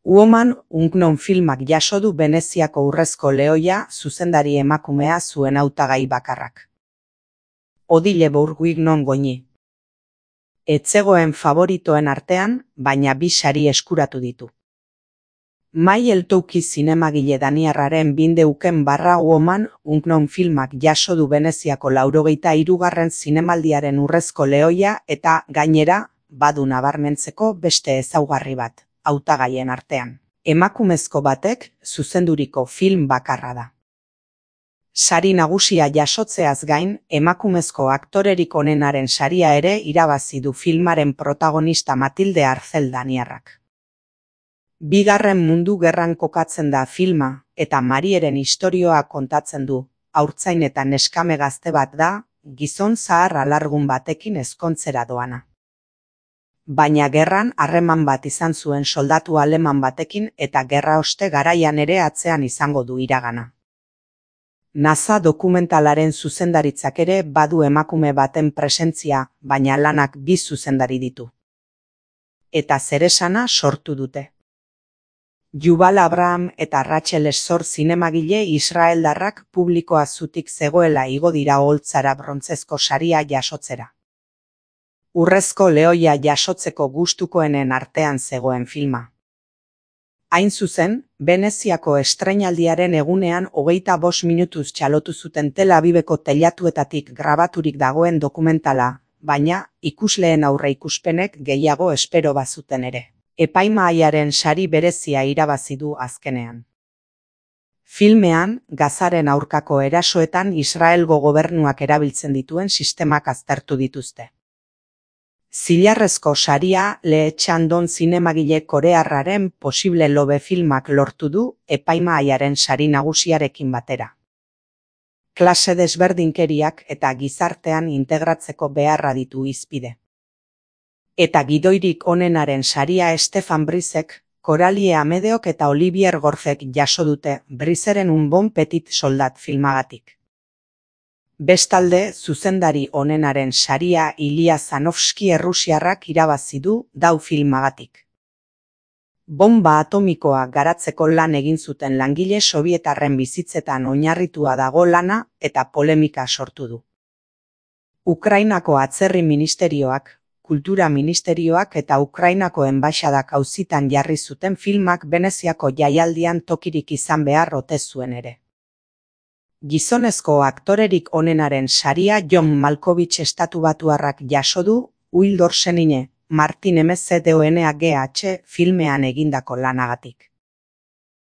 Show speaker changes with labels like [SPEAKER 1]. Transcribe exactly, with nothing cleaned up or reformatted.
[SPEAKER 1] Woman Unknown filmak jaso du Veneziako Urrezko Lehoia zuzendari emakumea zuen hautagai bakarrak. Odile Bourguignon goñi. Etzegoen favoritoen artean, baina bi sari eskuratu ditu. Mai Eltouki zinemagile daniarraren bindeuken barra Woman Unknown filmak jaso du Veneziako laurogeita hirugarren zinemaldiaren Urrezko Lehoia eta, gainera, badu nabarmentzeko beste ezaugarri bat, hautagaien artean. Emakumezko batek zuzenduriko film bakarra da. Sari nagusia jasotzeaz gain, emakumezko aktorerik onenaren saria ere irabazi du filmaren protagonista Matilde Arcel daniarrak. Bigarren Mundu Gerran kokatzen da filma, eta Marieren istorioa kontatzen du, haurtzain eta neskame gazte bat da, gizon zahar alargun batekin ezkontzera doana. Baina gerran harreman bat izan zuen soldatu aleman batekin eta gerra oste garaian ere atzean izango du iragana. NASA dokumentalaren zuzendaritzak ere badu emakume baten presentzia, baina lanak bi zuzendari ditu. Eta zeresana sortu dute. Yuval Abraham eta Rachel Esor zinemagile israeldarrak publikoa zutik zegoela igo dira oholtzara brontzezko saria jasotzera. Urrezko Lehoia jasotzeko gustukoenen artean zegoen filma. Hain zuzen, Veneziako estreinaldiaren egunean hogeita bost minutuz txalotu zuten Tel Aviveko teilatuetatik grabaturik dagoen dokumentala, baina ikusleen aurreikuspenek gehiago espero bazuten ere. Epaimahaiaren sari berezia irabazi du azkenean. Filmean, Gazaren aurkako erasoetan Israelgo gobernuak erabiltzen dituen sistemak aztertu dituzte. Zilarrezko saria Lee Chandon zinemagile korearraren Posible Love filmak lortu du epaimahaiaren sari nagusiarekin batera. Klase desberdinkeriak eta gizartean integratzeko beharra ditu hizpide. Eta gidoirik onenaren saria Stefan Brizek, Coralie Amedeok eta Olivier Gorzek jaso dute Brizeren Un Bon Petit Soldat filmagatik. Bestalde, zuzendari onenaren saria Ilya Zanovski errusiarrak irabazi du Dau filmagatik. Bomba atomikoa garatzeko lan egin zuten langile sobietarren bizitzetan oinarritua dago lana eta polemika sortu du. Ukrainako atzerri ministerioak, Kultura Ministerioak eta Ukrainako enbaixadak auzitan jarri zuten filmak Veneziako jaialdian tokirik izan behar ote zuen ere. Gizonezko aktorerik onenaren saria John Malkovich estatubatuarrak jaso du Uildor Senine, Martin M Z D O N A G H filmean egindako lanagatik.